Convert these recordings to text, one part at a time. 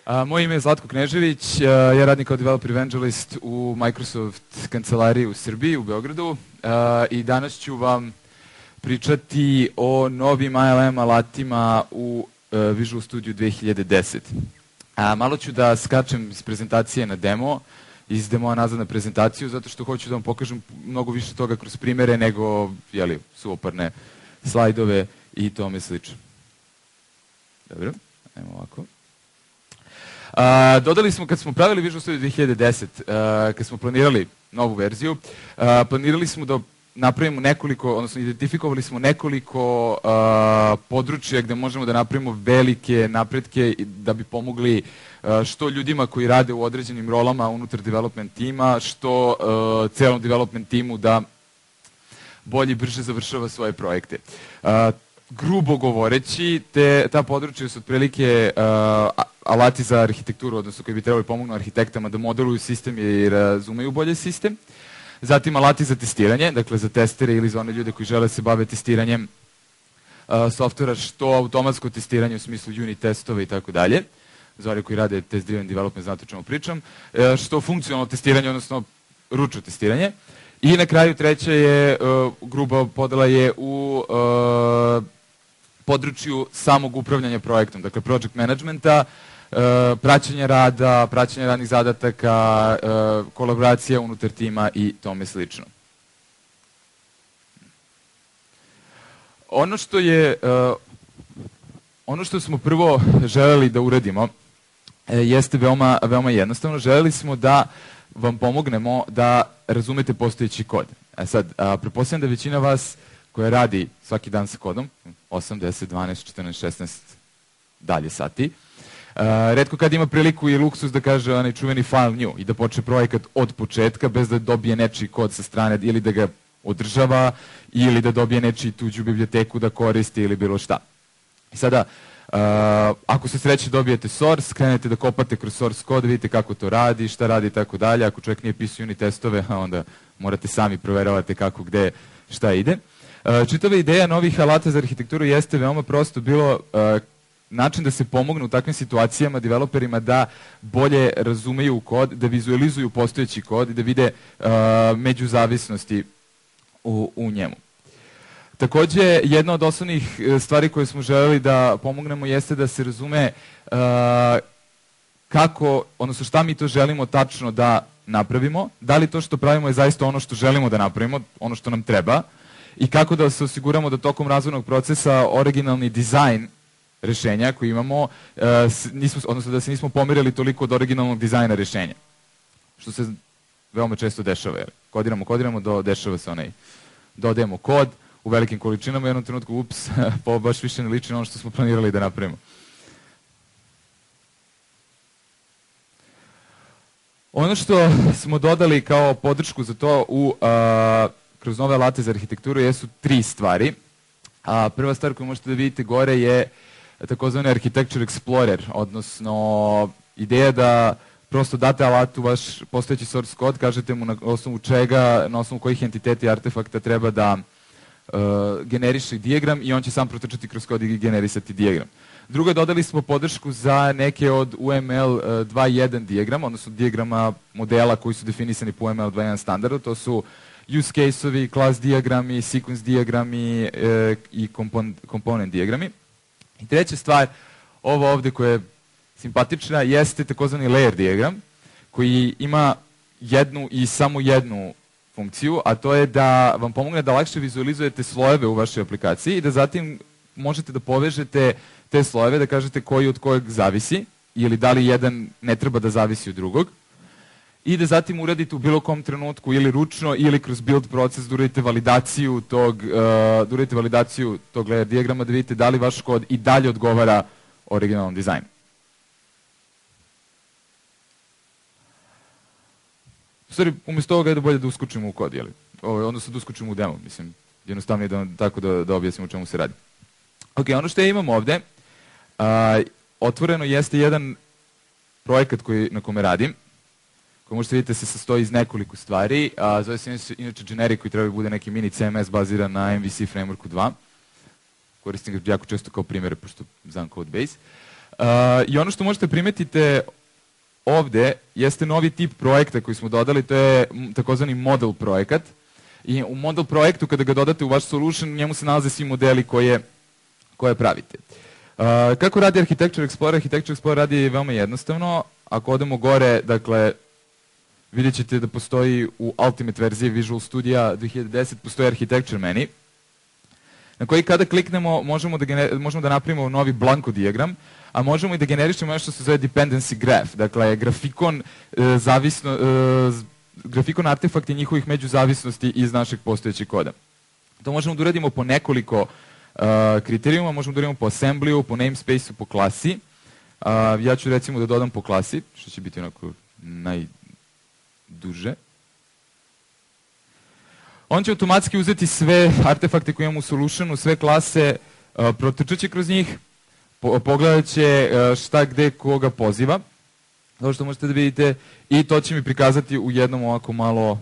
Moje ime je Zlatko Knežević, ja radim kao developer evangelist u Microsoft kancelariji u Srbiji, u Beogradu, i danas ću vam pričati o novim ILM alatima u Visual Studio 2010. Malo ću da skačem iz prezentacije na demo, iz demoa nazad na prezentaciju, zato što hoću da vam pokažem mnogo više toga kroz primere nego suvoparne slajdove i tome slično. Dobro, ajmo ovako. Dodali smo, kad smo pravili Visual Studio 2010, kad smo planirali novu verziju, planirali smo da napravimo nekoliko, odnosno identifikovali smo nekoliko područja gde možemo da napravimo velike napretke da bi pomogli što ljudima koji rade u određenim rolama unutar development tima, što celom development timu da bolje i brže završava svoje projekte. Grubo govoreći, ta područja su otprilike alati za arhitekturu, odnosno koji bi trebali pomognu arhitektama da modeluju sistem i razumeju bolje sistem. Zatim alati za testiranje, dakle za testere ili za one ljude koji žele se bave testiranjem softvera, što automatsko testiranje u smislu unit testova i tako dalje. Za one koji rade test driven development, znate o čemu pričam. Što funkcionalno testiranje, odnosno ručno testiranje. I na kraju treća je, gruba podela je u području samog upravljanja projektom, dakle project managementa, praćenja rada, praćenja radnih zadataka, kolaboracija unutar tima i tome slično. Ono što smo prvo želeli da uradimo jeste veoma jednostavno. Želeli smo da vam pomognemo da razumete postojeći kod. Sad, pretpostavljam da većina vas koja radi svaki dan sa kodom, 8, 10, 12, 14, 16 dalje sati, retko kad ima priliku i luksus da kaže onaj čuveni file new i da počne projekat od početka bez da dobije nečiji kod sa strane ili da ga održava ili da dobije nečiju tuđu biblioteku da koristi ili bilo šta. I sada, ako se sreće dobijete source, krenete da kopate kroz source kod, vidite kako to radi, šta radi i tako dalje. Ako čovjek nije pisao unit testove, onda morate sami proveravate kako, gde, šta ide. Čitava ideja novih alata za arhitekturu jeste veoma prosto bilo način da se pomogne u takvim situacijama developerima da bolje razumeju kod, da vizualizuju postojeći kod i da vide međuzavisnosti u njemu. Takođe, jedna od osnovnih stvari koje smo želeli da pomognemo jeste da se razume kako, odnosno šta mi to želimo tačno da napravimo, da li to što pravimo je zaista ono što želimo da napravimo, ono što nam treba, i kako da se osiguramo da tokom razvojnog procesa originalni dizajn rešenja koji imamo, odnosno da se nismo pomerili toliko od originalnog dizajna rešenja. Što se veoma često dešava. Kodiramo, dešava se dodajemo kod u velikim količinama i u jednom trenutku, ups, pa baš više ne liči na ono što smo planirali da napravimo. Ono što smo dodali kao podršku za to kroz nove alate za arhitekturu jesu 3 stvari. Prva stvar koju možete da vidite gore je takozvani Architecture Explorer, odnosno ideja da prosto date alatu vaš postojeći source kod, kažete mu na osnovu čega, na osnovu kojih entiteta i artefakta treba da generiše dijagram i on će sam protrčati kroz kod i generisati dijagram. Drugo, dodali smo podršku za neke od UML 2.1 dijagrama, odnosno dijagrama modela koji su definisani po UML 2.1 standardu. To su use case-ovi, class dijagrami, sequence dijagrami i component dijagrami. I treća stvar, ovo ovde koja je simpatična, jeste takozvani layer dijagram, koji ima jednu i samo jednu funkciju, a to je da vam pomogne da lakše vizualizujete slojeve u vašoj aplikaciji i da zatim možete da povežete te slojeve, da kažete koji od kojeg zavisi ili da li jedan ne treba da zavisi od drugog i da zatim uradite u bilo kom trenutku ili ručno ili kroz build proces da uradite validaciju tog layer dijagrama da vidite da li vaš kod i dalje odgovara originalnom dizajnu. U stvari, umjesto ovoga je da bolje da uskočimo u kod, odnosno da uskočimo u demo, mislim, jednostavno je tako da objasnimo o čemu se radi. Ok, ono što ja imam ovde, otvoreno jeste jedan projekat na kome radim, koji možete vidjeti se sastoji iz nekoliko stvari, zove se inače generic koji treba da bude neki mini CMS baziran na MVC frameworku 2. Koristim ga jako često kao primjere, pošto znam Codebase. I ono što možete primetite ovde jeste novi tip projekta koji smo dodali, to je takozvani model projekat. I u model projektu, kada ga dodate u vaš solution, u njemu se nalaze svi modeli koje pravite. Kako radi Architecture Explorer? Architecture Explorer radi veoma jednostavno. Ako odemo gore, dakle, vidjet ćete da postoji u Ultimate verziji Visual Studio 2010, postoji Architecture menu, na koji kada kliknemo možemo da napravimo novi blanko dijagram, a možemo i da generišemo nešto što se zove dependency graph, dakle grafikon artefakti njihovih međuzavisnosti iz našeg postojećeg koda. To možemo da uradimo po nekoliko kriterijuma, možemo da uradimo po assemblyu, po namespaceu, po klasi. Ja ću recimo da dodam po klasi, što će biti onako najduže. On će automatski uzeti sve artefakte koje imamo u solutionu, sve klase, protrčat će kroz njih, pogledat će šta, gde, koga poziva, kao što možete da vidite, i to će mi prikazati u jednom ovako malo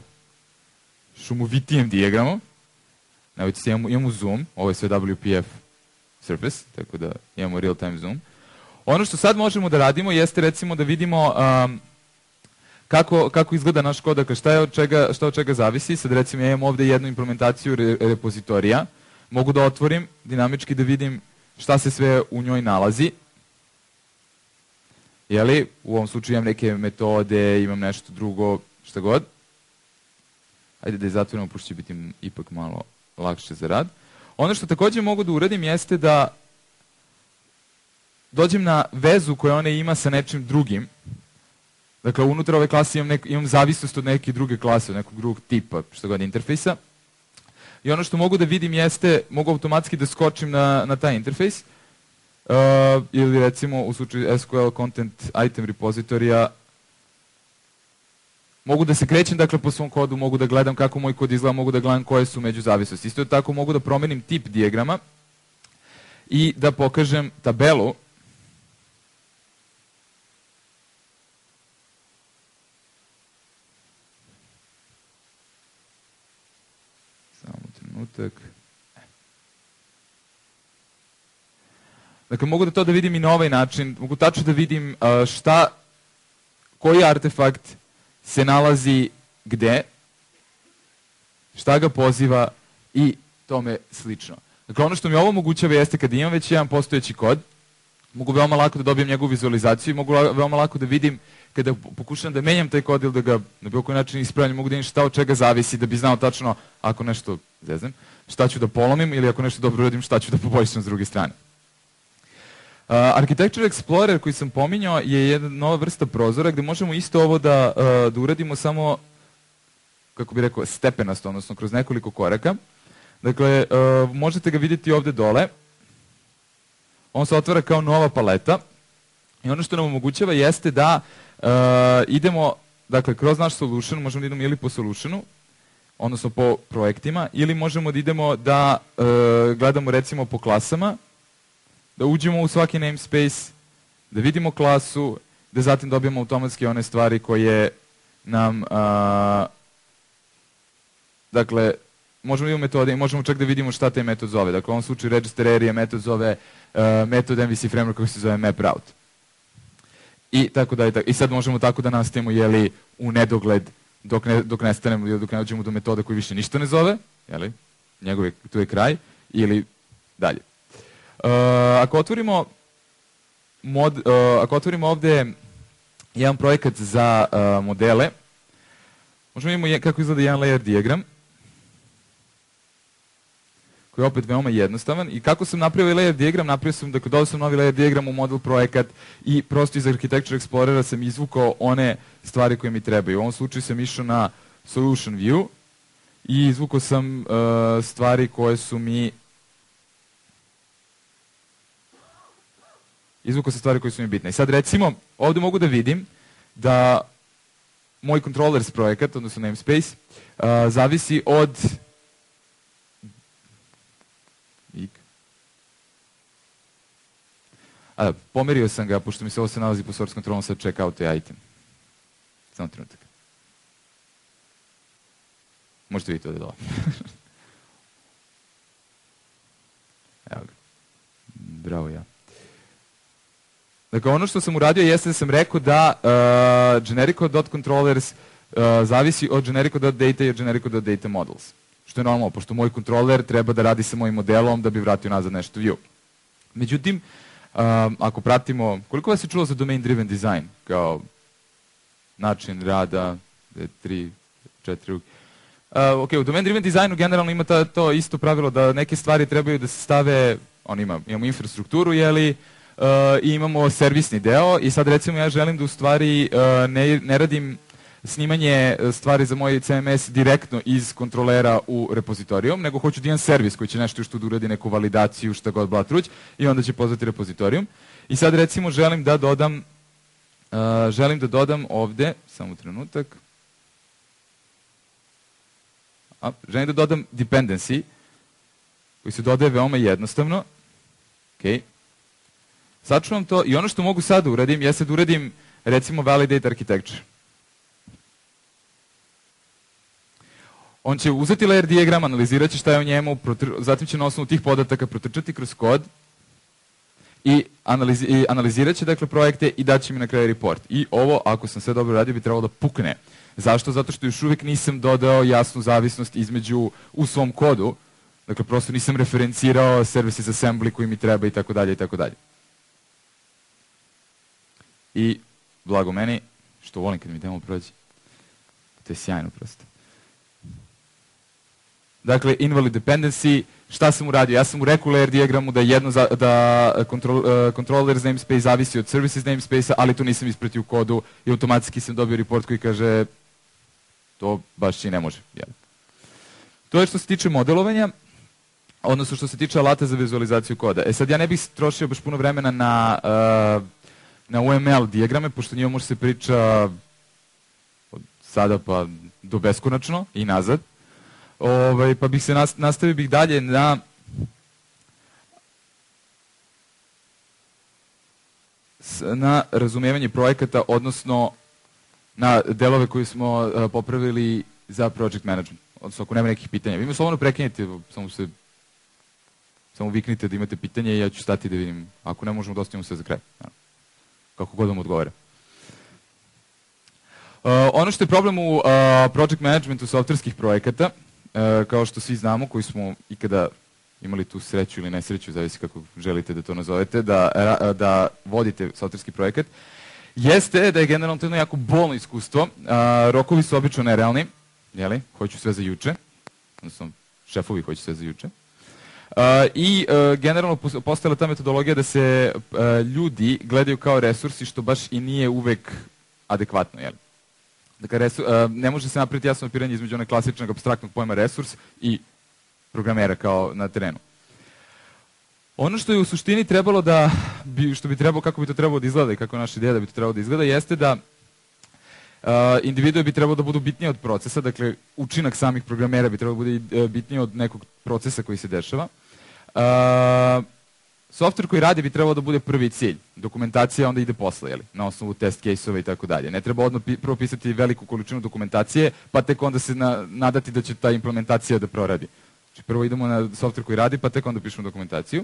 šumovitijem dijagramu. Evo se imamo zoom, ovo je sve WPF surface, tako da imamo real time zoom. Ono što sad možemo da radimo jeste recimo da vidimo kako izgleda naš kod, dakle šta od čega zavisi. Sad recimo ja imam ovde jednu implementaciju repozitorija, mogu da otvorim dinamički da vidim šta se sve u njoj nalazi. Jeli, u ovom slučaju imam neke metode, imam nešto drugo, šta god. Ajde da je zatvorimo, pošto će biti ipak malo lakše za rad. Ono što takođe mogu da uradim jeste da dođem na vezu koju ona ima sa nečim drugim. Dakle, unutar ove klase imam zavisnost od neke druge klase, od nekog drugog tipa, što god, interfejsa. I ono što mogu da vidim jeste, mogu automatski da skočim na taj interfejs, ili recimo u slučaju SQL Content Item repozitorija, mogu da se krećem dakle po svom kodu, mogu da gledam kako moj kod izgleda, mogu da gledam koje su međuzavisnosti. Isto tako mogu da promenim tip dijagrama i da pokažem tabelu. Samo trenutak. Dakle, mogu da to da vidim i na ovaj način, mogu tačno da vidim koji artefakt se nalazi gde, šta ga poziva i tome slično. Dakle, ono što mi ovo omogućava jeste kada imam već jedan postojeći kod, mogu veoma lako da dobijem njegovu vizualizaciju i mogu veoma lako da vidim kada pokušam da menjam taj kod ili da ga na bilo koji način ispravljam, mogu da vidim šta od čega zavisi da bi znao tačno ako nešto zeznem, šta ću da polomim ili ako nešto dobro uradim, šta ću da poboljšam s druge strane. Architecture Explorer koji sam pominjao je jedna nova vrsta prozora gde možemo isto ovo da uradimo samo, kako bih rekao, stepenasto, odnosno kroz nekoliko koraka. Dakle, možete ga vidjeti ovde dole. On se otvara kao nova paleta i ono što nam omogućava jeste da idemo, dakle, kroz naš solution, možemo da idemo ili po solutionu, odnosno po projektima, ili možemo da idemo da gledamo recimo po klasama, da uđemo u svaki namespace, da vidimo klasu, da zatim dobijemo automatski one stvari koje nam, dakle, možemo da imamo metode i možemo čak da vidimo šta taj metod zove. Dakle, u ovom slučaju register area metod zove metod MVC framework koji se zove map route. I tako da, i sad možemo tako da nastavimo, jeli, u nedogled dok ne stanemo ili dok ne dođemo do metoda koji više ništa ne zove, jeli, tu je kraj, ili dalje. Ako otvorimo ovde jedan projekat za modele, možemo imamo kako izgleda jedan layer diagram, koji je opet veoma jednostavan. I kako sam napravio layer diagram, napravio sam, dakle, dodao sam novi layer diagram u model projekat i prosto iz Architecture Explorera sam izvukao one stvari koje mi trebaju. U ovom slučaju sam išao na Solution View i izvukao sam stvari koje su mi bitne. I sad recimo, ovde mogu da vidim da moj controllers projekat, odnosno namespace, zavisi od pomerio sam ga, pošto mi se ovo se nalazi po source controlom, sad check out the item. Samo trenutak. Možete vidjeti ovdje dole. Evo ga. Bravo ja. Dakle, ono što sam uradio jeste da sam rekao da generico.controllers zavisi od generico.data i od generico.data models. Što je normalno, pošto moj kontroler treba da radi sa mojim modelom da bi vratio nazad nešto view. Međutim, ako pratimo, koliko vas je čulo za domain driven design kao način rada, 3, 4... ok, u domain driven designu generalno ima to isto pravilo da neke stvari trebaju da se stave, imamo infrastrukturu, jeli, i imamo servisni deo i sad recimo ja želim da u stvari ne radim snimanje stvari za moj CMS direktno iz kontrolera u repozitorijum, nego hoću da imam servis koji će nešto što da uradi neku validaciju, šta god blatruć, i onda će pozvati repozitorijum. I sad recimo želim da dodam ovde, samo trenutak, želim da dodam dependency, koji se dodaje veoma jednostavno. Ok. Sačuvam to i ono što mogu sad da uradim, jeste da uradim recimo validate architecture. On će uzeti layer diagram, analizirat će šta je u njemu, zatim će na osnovu tih podataka protrčati kroz kod i analizirat će dakle projekte i daće mi na kraju report. I ovo, ako sam sve dobro radio, bi trebalo da pukne. Zašto? Zato što još uvijek nisam dodao jasnu zavisnost između u svom kodu. Dakle, prosto nisam referencirao services assembly koji mi treba i tako dalje i tako dalje. I blago meni, što volim kad mi demo prođe. To je sjajno prosto. Dakle, invalid dependency, šta sam uradio? Ja sam u rekao layer diagramu da controllers namespace zavisi od services namespace-a, ali to nisam ispratio u kodu i automatski sam dobio report koji kaže to baš i ne može. To je što se tiče modelovanja, odnosno što se tiče alata za vizualizaciju koda. E sad ja ne bih trošio baš puno vremena na UML dijagrame, pošto njima može se priča od sada pa do beskonačno i nazad. Pa bih se nastavio dalje na razumijevanje projekata, odnosno na delove koje smo popravili za project management. Odnosno, ako nema nekih pitanja. Vi me slobodno prekinite, samo viknite da imate pitanje i ja ću stati da vidim. Ako ne možemo, da ostavimo sve za kraj. Kako god vam odgovara. Ono što je problem u project managementu softverskih projekata, kao što svi znamo, koji smo ikada imali tu sreću ili nesreću, zavisi kako želite da to nazovete, da vodite softverski projekat, jeste da je generalno to jedno jako bolno iskustvo. Rokovi su obično nerealni, hoću sve za juče, odnosno šefovi hoću sve za juče. I generalno postojala ta metodologija da se ljudi gledaju kao resursi, što baš i nije uvek adekvatno, jel? Dakle, ne može se napraviti jasno opiranje između onog klasičnog apstraktnog pojma resurs i programera kao na terenu. Ono što je u suštini trebalo kako bi to trebalo da izgleda i kako je naša ideja da bi to trebalo da izgleda, jeste da individue bi trebalo da budu bitnije od procesa, dakle, učinak samih programera bi trebalo da bude bitnije od nekog procesa koji se dešava. Software koji radi bi trebalo da bude prvi cilj. Dokumentacija onda ide posle, na osnovu test case-ova i tako dalje. Ne treba odmah propisati veliku količinu dokumentacije, pa tek onda se nadati da će ta implementacija da proradi. Znači, prvo idemo na software koji radi, pa tek onda pišemo dokumentaciju.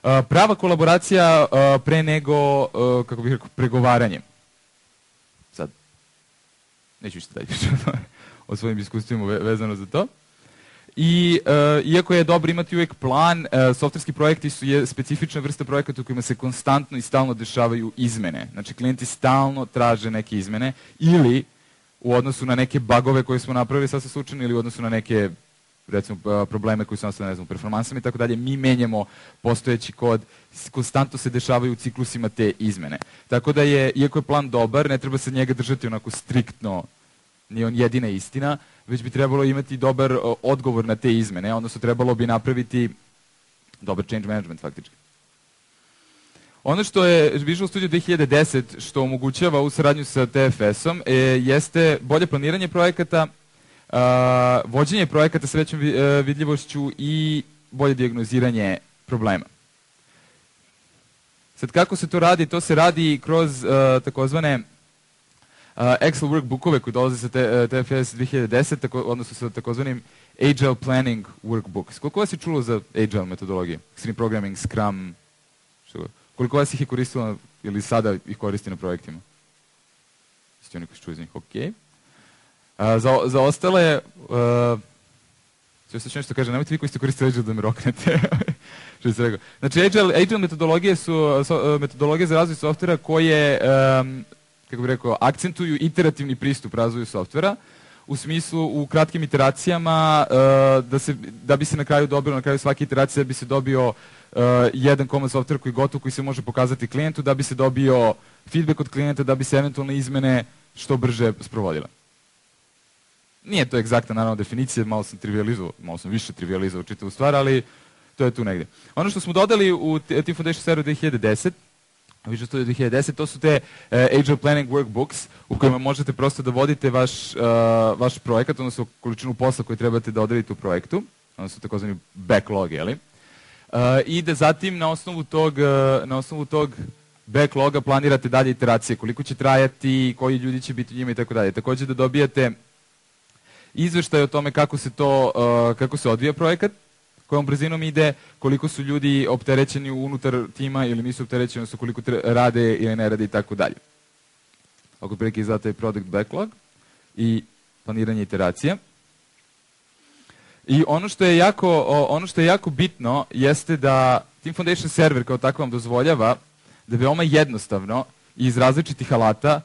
Prava kolaboracija pre nego, kako bih rekao, pregovaranje. Sad, neću ište dalje o svojim iskustvima vezano za to. I iako je dobro imati uvijek plan, softverski projekti su specifična vrsta projekata u kojima se konstantno i stalno dešavaju izmene. Znači, klijenti stalno traže neke izmene ili u odnosu na neke bugove koje smo napravili sasvim slučajno ili u odnosu na neke, recimo, probleme koji su nastale, ne znam, performansama i tako dalje, mi menjamo postojeći kod, konstantno se dešavaju u ciklusima te izmene. Tako da iako je plan dobar, ne treba se njega držati onako striktno, nije on jedina istina, već bi trebalo imati dobar odgovor na te izmene, odnosno trebalo bi napraviti dobar change management faktički. Ono što je Visual Studio 2010 što omogućava u saradnju sa TFS-om jeste bolje planiranje projekata, vođenje projekata sa većom vidljivošću i bolje dijagnoziranje problema. Sad kako se to radi? To se radi kroz takozvane Excel workbookove koji dolaze sa TFS 2010, odnosno sa takozvanim Agile Planning Workbooks. Koliko vas je čulo za Agile metodologije? Extreme Programming, Scrum, Koliko vas ih je koristilo ili sada ih koristi na projektima? Jeste oni koji čuju iz njih? Ok. Za ostale, ću nešto kaže, nemojte vi koji ste koristili Agile da me roknete. Što se rekao. Znači, Agile metodologije su metodologije za razvoj softvera koje, kako bih rekao, akcentuju iterativni pristup razvoju softvera, u smislu u kratkim iteracijama, da bi se na kraju dobilo, na kraju svake iteracije da bi se dobio jedan komad softvera koji je gotov, koji se može pokazati klijentu, da bi se dobio feedback od klijenta, da bi se eventualne izmene što brže sprovodile. Nije to egzaktna, naravno, definicija, malo sam više trivializovao čitavu stvar, ali to je tu negdje. Ono što smo dodali u Team Foundation Server 2010, Visual Studio 2010, to su te Agile Planning Workbooks u kojima možete prosto da vodite vaš projekat, odnosno količinu posla koju trebate da odredite u projektu, odnosno takozvani backlog, jeli? I da zatim na osnovu tog backloga planirate dalje iteracije, koliko će trajati, koji ljudi će biti u njima i tako dalje. Također da dobijate izveštaj o tome kako se odvija projekat, kojom brzinom ide, koliko su ljudi opterećeni unutar tima ili nisu opterećeni, odnosno koliko rade ili ne rade i tako dalje. Oko prilike izdate product backlog i planiranje iteracija. I ono što je jako bitno jeste da Team Foundation Server kao tako vam dozvoljava da veoma jednostavno i iz različitih alata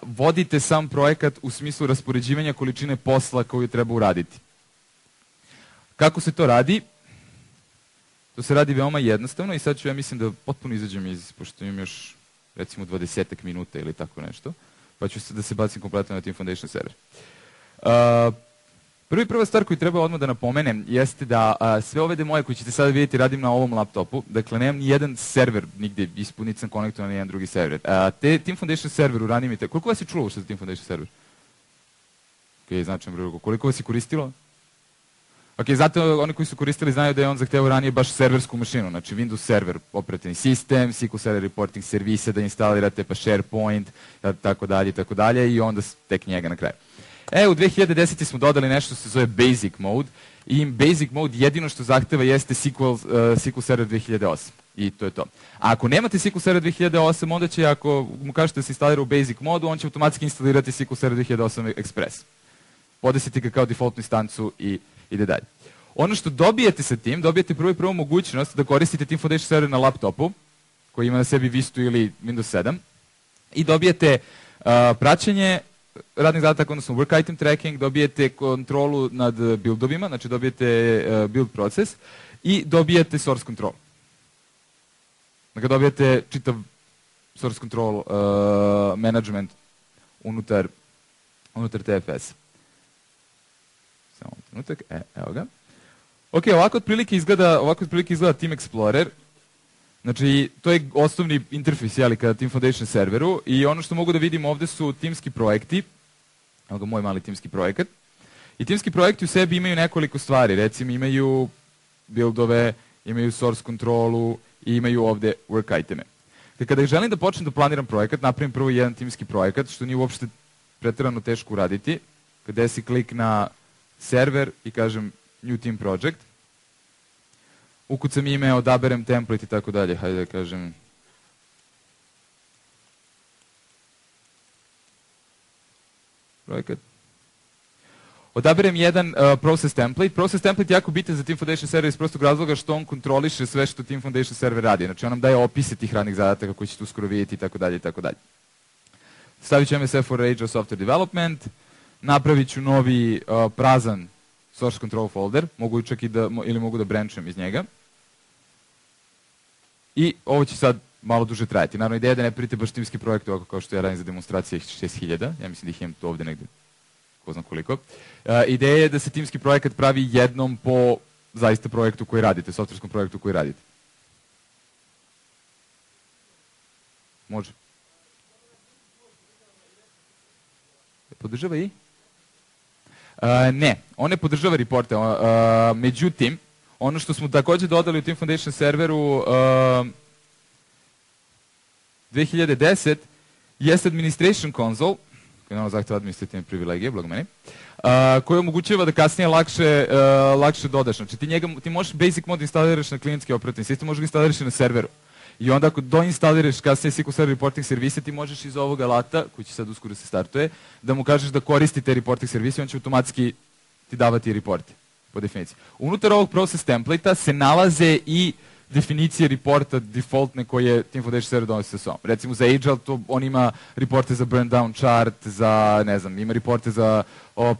vodite sam projekat u smislu raspoređivanja količine posla koju treba uraditi. Kako se to radi? To se radi veoma jednostavno i sad ću ja mislim da potpuno izađem pošto imam još recimo 20 minuta ili tako nešto, pa ću da se bacim kompletno na Team Foundation Server. Prva stvar koju treba odmah da napomenem jeste da sve ove demoje koje ćete sada vidjeti radim na ovom laptopu, dakle nemam ni jedan server nigde ispod, niti sam konektovan na jedan drugi server. Team Foundation Server u ranijim koliko vas je čulo što je Team Foundation Server? Ok, značajno broj. Koliko vas je koristilo? Ok, zato oni koji su koristili znaju da je on zahtevao ranije baš serversku mašinu, znači Windows server, operativni sistem, SQL Server reporting servise da instalirate, pa SharePoint, tako dalje, i onda tek njega na kraju. U 2010. smo dodali nešto što se zove Basic Mode i Basic Mode jedino što zahteva jeste SQL Server 2008 i to je to. A ako nemate SQL Server 2008, onda će, ako mu kažete da se instalira u Basic Modu, on će automatski instalirati SQL Server 2008 Express. Podesite ga kao defaultnu instancu i ide dalje. Ono što dobijete sa tim, dobijete prvo mogućnost da koristite Team Foundation Server na laptopu, koji ima na sebi Vista ili Windows 7, i dobijete praćenje radnih zadataka, odnosno work item tracking, dobijete kontrolu nad buildovima, znači dobijete build proces i dobijete source control. Dakle, dobijete čitav source control management unutar TFS. Samo trenutak, evo ga. Ok, ovako otprilike izgleda Team Explorer. Znači, to je osnovni interfejs kada Team Foundation serveru i ono što mogu da vidim ovde su timski projekti. Evo ga moj mali timski projekat. I timski projekti u sebi imaju nekoliko stvari. Recimo, imaju buildove, imaju source kontrolu i imaju ovde work iteme. Kada želim da počnem da planiram projekat, napravim prvo jedan timski projekat, što nije uopšte preterano teško uraditi. Kada si klik na server i kažem New Team Project, ukucam ime, odaberem template i tako dalje, hajde da kažem projekat. Odaberem jedan process template. Process template je jako bitan za Team Foundation server iz prostog razloga što on kontroliše sve što Team Foundation server radi. Znači on nam daje opise tih radnih zadataka koji ćete uskoro vidjeti i tako dalje i tako dalje. Stavit ću MSF for Agile Software Development, napravit ću novi prazan source control folder, mogu čak ili mogu da branchujem iz njega. I ovo će sad malo duže trajati. Naravno, ideja je da ne pravite baš timski projekt ovako kao što ja radim za demonstracije 6000. Ja mislim da ih imam tu ovde negde, ko znam koliko. Ideja je da se timski projekat pravi jednom po zaista projektu koji radite, softverskom projektu koji radite. Može. Podržava i? Ne, on ne podržava reporte. Međutim, ono što smo također dodali u Team Foundation serveru 2010 jeste Administration Console, koji nam zahteva administrativne privilegije, blago meni, koji omogućava da kasnije lakše dodaš. Znači ti možeš Basic Mode instaliraš na klijentski operativni sistem, možeš ga instaliraš na serveru. I onda ako doinstaliraš kasnije SQL Server reporting servise, ti možeš iz ovog alata, koji će sad uskoro se startuje, da mu kažeš da koristi te reporting servise i on će automatski ti davati reporte, po definiciji. Unutar ovog process template-a se nalaze i definicije reporta defaultne koje Team Foundation Server donosi sa sobom. Recimo za Agile, on ima reporte za burn down chart, za, ne znam, ima reporte za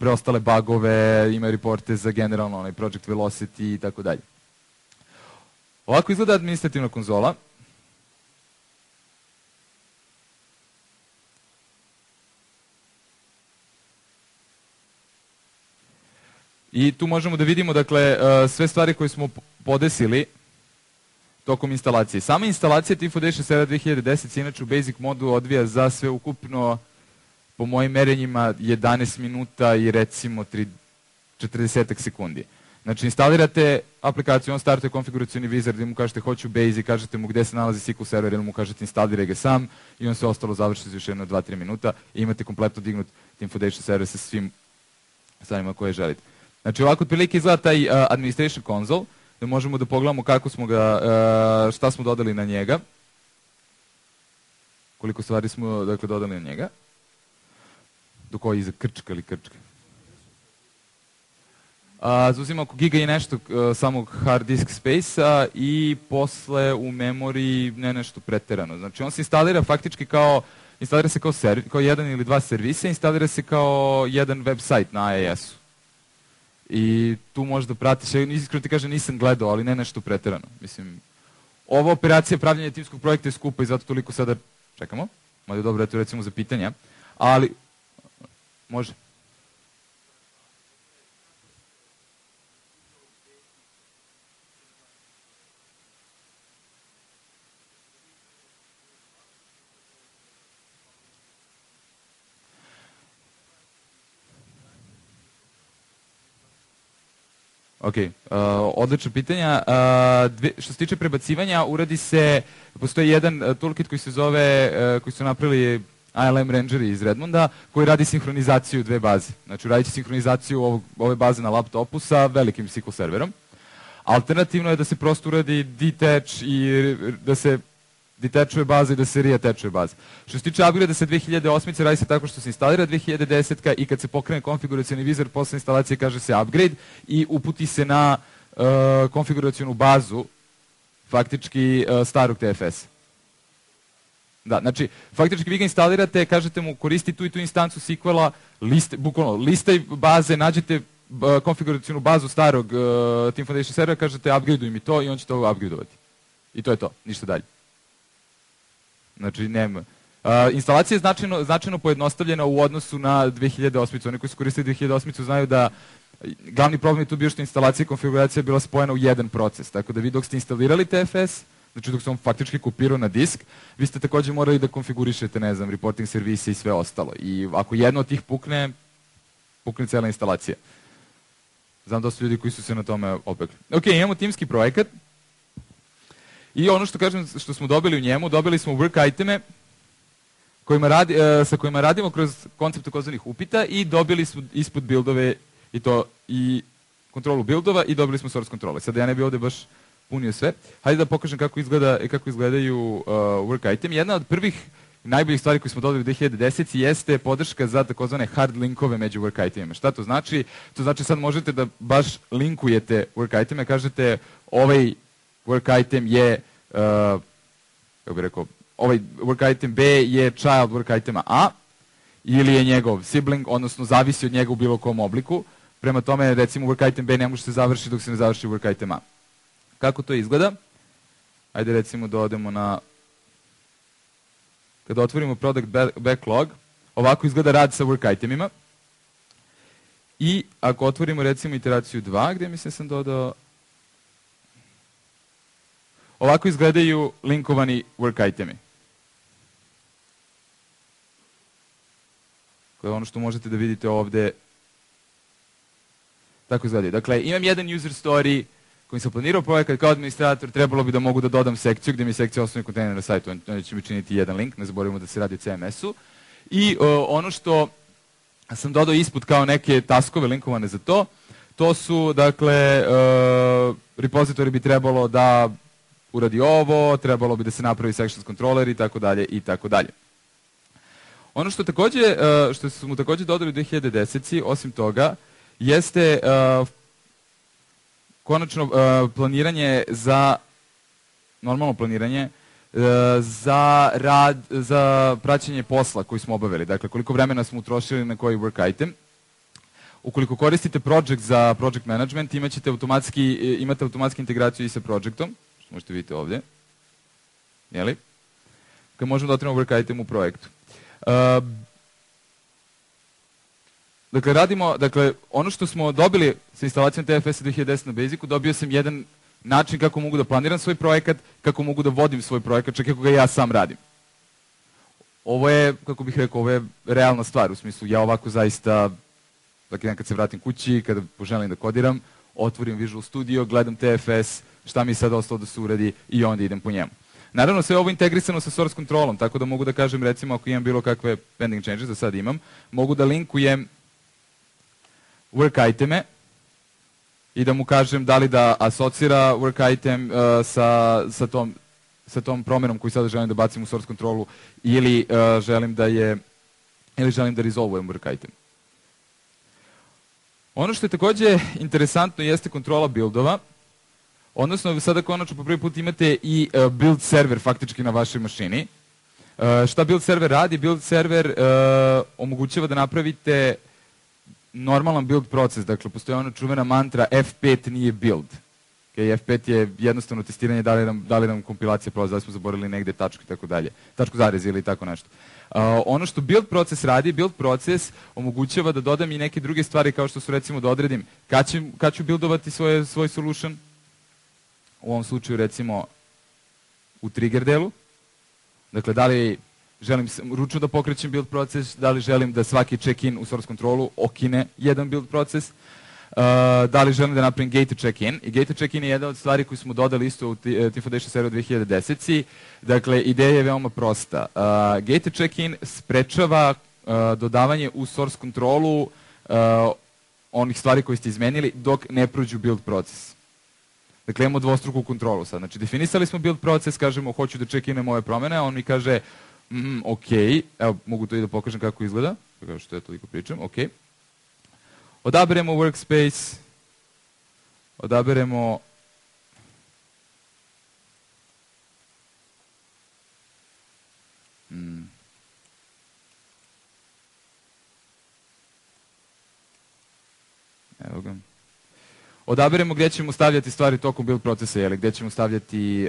preostale bugove, ima reporte za generalno project velocity i tako dalje. Ovako izgleda administrativna konzola. I tu možemo da vidimo, dakle, sve stvari koje smo podesili tokom instalacije. Sama instalacija Team Foundation Server 2010 se inače u basic modu odvija za sve ukupno, po mojim merenjima, 11 minuta i recimo 40 sekundi. Znači, instalirate aplikaciju, on startuje konfiguracioni wizard, gdje mu kažete hoću basic, kažete mu gde se nalazi SQL Server, ili mu kažete instaliraj ga sam i on sve ostalo završi za još jedno 2-3 minuta i imate kompletno dignut Team Foundation Server sa svim stvarima koje želite. Znači, ovako otprilike izgleda taj administration console, da možemo da pogledamo kako smo ga, šta smo dodali na njega. Koliko stvari smo, dakle, dodali na njega. Dok ovo iza krčka ili krčka. Zauzima oko giga i nešto samog hard disk space-a i posle u memoriji ne nešto preterano. Znači, on se instalira faktički instalira se kao jedan ili dva servisa, instalira se kao jedan website na IIS-u. I tu možda pratiš, iskreno ti kažem nisam gledao, ali ne nešto preterano. Mislim, ova operacija pravljanja timskog projekta je skupa i zato toliko sada čekamo. Mada je dobro, eto recimo za pitanja. Ali, može. Ok, odlično pitanja. Što se tiče prebacivanja, postoji jedan toolkit koji se zove, koji su napravili ILM Rangeri iz Redmonda, koji radi sinhronizaciju dve baze. Znači, radit će sinhronizaciju ove baze na laptopu sa velikim SQL serverom. Alternativno je da se prosto uradi detach i da se detachuje baza i da se reattachuje baza. Što se tiče upgrade sa 2008. radi se tako što se instalira 2010. i kad se pokrene konfiguracioni wizard posle instalacije kaže se upgrade i uputi se na konfiguracionu bazu faktički starog TFS. Da, znači, faktički vi ga instalirate, kažete mu koristi tu i tu instancu SQL-a, bukvalno listaj baze, nađete konfiguracionu bazu starog Team Foundation servera, kažete upgradeuj mi to i on će to upgradeovati. I to je to, ništa dalje. Znači, nema. Instalacija je značajno pojednostavljena u odnosu na 2008. Oni koji su koristili 2008. znaju da glavni problem je tu bio što instalacija i konfiguracija je bila spojena u jedan proces. Tako da vi dok ste instalirali TFS, znači dok se on faktički kopirao na disk, vi ste također morali da konfigurišete, ne znam, reporting servise i sve ostalo. I ako jedno od tih pukne cijela instalacija. Znam dosta ljudi koji su se na tome opekli. Ok, imamo timski projekat. I ono što kažem, što smo dobili u njemu, dobili smo work iteme sa kojima radimo kroz koncept takozvanih upita i dobili smo ispod buildove i kontrolu buildova i dobili smo source kontrole. Sada ja ne bih ovdje baš punio sve. Hajde da pokažem kako izgledaju work item. Jedna od prvih najboljih stvari koje smo dobili u 2010 jeste podrška za takozvane hard linkove među work itemima. Šta to znači? To znači sad možete da baš linkujete work iteme, kažete ovaj work item je, kako bih rekao, ovaj work item B je child work itema A ili je njegov sibling, odnosno zavisi od njega u bilo kom obliku. Prema tome, recimo, work item B ne može se završiti dok se ne završi work item A. Kako to izgleda? Ajde recimo da odemo na... Kada otvorimo product backlog, ovako izgleda rad sa work itemima. I ako otvorimo recimo iteraciju 2, gdje mislim sam dodao... Ovako izgledaju linkovani work itemi. To je ono što možete da vidite ovdje. Tako izgledaju. Dakle, imam jedan user story kojim sam planirao projekat kao administrator, trebalo bi da mogu da dodam sekciju, gdje mi je sekcija osnovni kontejner na sajtu, on će mi činiti jedan link, ne zaboravimo da se radi o CMS-u. I ono što sam dodao ispod kao neke taskove linkovane za to su, dakle, repozitori bi trebalo da uradi ovo, trebalo bi da se napravi sections controller i tako dalje i tako dalje. Ono što smo takođe dodali u 2010. osim toga, jeste konačno planiranje za, normalno planiranje, za praćenje posla koji smo obavili. Dakle, koliko vremena smo utrošili na koji work item. Ukoliko koristite project za project management, imate automatski integraciju i sa projectom, što možete vidjeti ovdje. Jeli? Kad možemo da otvorimo work item u projektu. Dakle, ono što smo dobili sa instalacijom TFS 2010 na Basicu, dobio sam jedan način kako mogu da planiram svoj projekat, kako mogu da vodim svoj projekat, čak kako ga ja sam radim. Ovo je, kako bih rekao, ovo je realna stvar, u smislu ja ovako zaista, dakle, kad se vratim kući, kada poželim da kodiram, otvorim Visual Studio, gledam TFS, šta mi je sad ostalo da se uradi i onda idem po njemu. Naravno, sve ovo integrisano sa source controlom, tako da mogu da kažem, recimo, ako imam bilo kakve pending changes, da sad imam, mogu da linkujem work iteme i da mu kažem da li da asocira work item sa tom promjenom koju sada želim da bacim u source controlu ili želim da resolvujem work item. Ono što je takođe interesantno jeste kontrola buildova, odnosno sada konačno po prvi put imate i build server faktički na vašoj mašini. Šta build server radi? Build server omogućava da napravite normalan build proces, dakle postoji ona čuvena mantra F5 nije build. F5 je jednostavno testiranje da li nam kompilacija prolazi, da li smo zaboravili negde tačku i tako dalje, tačku zarez ili tako nešto. Ono što build proces radi, build proces omogućava da dodam i neke druge stvari kao što su recimo da odredim kad ću buildovati svoj solution, u ovom slučaju recimo u trigger delu, dakle da li želim ručno da pokrećem build proces, da li želim da svaki check-in u source controlu okine jedan build proces, da li želim da napravim gated check-in. I gated check-in je jedna od stvari koju smo dodali isto u Team Foundation seriju 2010. Dakle, ideja je veoma prosta. Gated check-in sprečava dodavanje u source controlu onih stvari koje ste izmenili dok ne prođu build proces. Dakle, imamo dvostruku kontrolu sad. Znači, definisali smo build proces, kažemo hoću da check-inem ove promjene, on mi kaže ok, evo mogu to i da pokažem kako izgleda, kao što ja toliko pričam, ok. Odaberemo workspace, odaberemo evo ga. Odaberemo gdje ćemo stavljati stvari tokom build procesa, gdje ćemo stavljati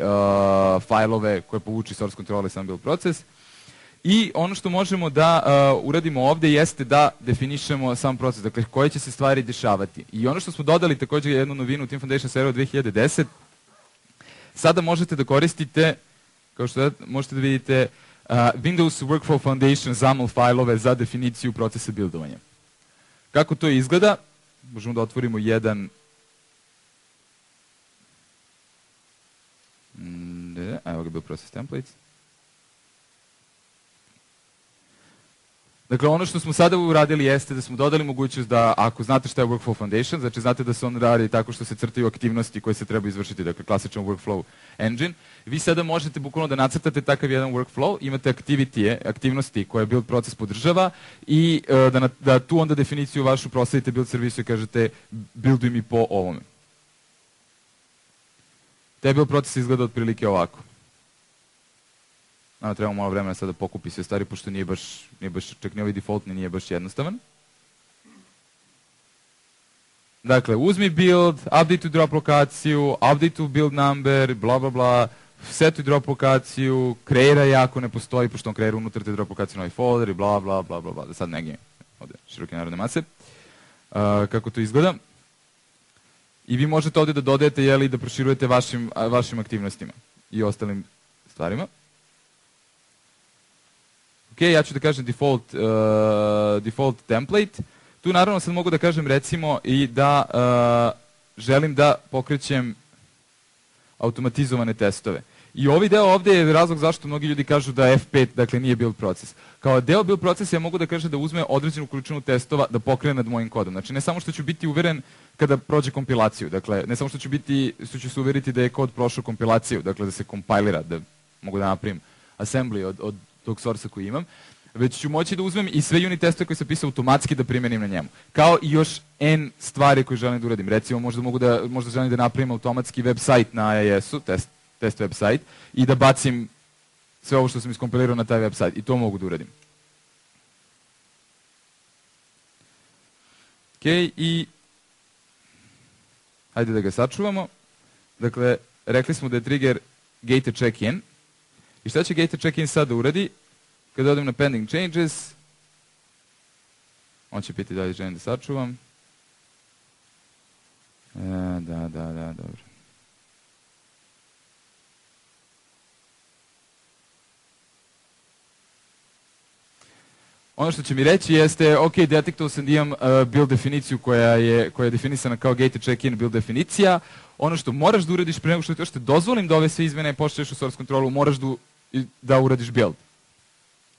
fajlove koje povuči source control i sam build proces. I ono što možemo da uradimo ovdje jeste da definišemo sam proces, dakle koje će se stvari dešavati. I ono što smo dodali također jednu novinu u Team Foundation seriju 2010, sada možete da koristite, kao što možete da vidite, Windows Workflow Foundation XAML fajlove za definiciju procesa buildovanja. Kako to izgleda? Možemo da otvorimo jedan... Evo ga build process templates. Dakle, ono što smo sada uradili jeste da smo dodali mogućnost da, ako znate šta je Workflow Foundation, znači znate da se on radi tako što se crtaju aktivnosti koje se treba izvršiti, dakle klasičan workflow engine, vi sada možete bukvalno da nacrtate takav jedan workflow, imate aktivnosti koje build proces podržava i da tu onda definiciju vašu prosledite build servisu i kažete builduj mi po ovome. Taj build proces izgleda otprilike ovako. Trebamo malo vremena sada da pokupi sve stvari, pošto nije baš, čak ni ovaj defaultni nije baš jednostavan. Dakle, uzmi build, update drop lokaciju, update build number, bla bla bla, setuj drop lokaciju, kreiraj ako ne postoji, pošto on kreira unutar te drop lokaciju novi folder i bla bla bla bla bla, da sad ne gnjim ovdje široke narodne mase. Kako to izgleda. I vi možete ovdje da dodajete i da proširujete vašim aktivnostima i ostalim stvarima. Ok, ja ću da kažem default template. Tu naravno sad mogu da kažem recimo i da želim da pokrećem automatizovane testove. I ovaj deo ovde je razlog zašto mnogi ljudi kažu da F5 dakle, nije build proces. Kao deo build procesa ja mogu da kažem da uzme određenu količinu testova da pokrene nad mojim kodom. Znači ne samo što ću biti uveren kada prođe kompilaciju, dakle ne samo što ću se uveriti da je kod prošao kompilaciju, dakle da se kompilira, da mogu da napravim assembly od tog source koji imam, već ću moći da uzmem i sve unit testove koje sam pisao automatski da primenim na njemu. Kao i još N stvari koje želim da uradim. Recimo možda želim da napravim automatski website na iOS-u, test website, i da bacim sve ovo što sam iskompilirao na taj website. I to mogu da uradim. Ok, i hajde da ga sačuvamo. Dakle, rekli smo da je trigger gated check-in. I šta će gated check-in sad da uradi? Kada odem na pending changes, on će piti da li želim da sačuvam. Da, dobro. Ono što će mi reći jeste, ok, detektovao sam da imam build definiciju koja je definisana kao gated check-in build definicija. Ono što moraš da uradiš pre nego što te dozvolim da ove sve izmene pošliješ u source kontrolu, moraš da uradiš build.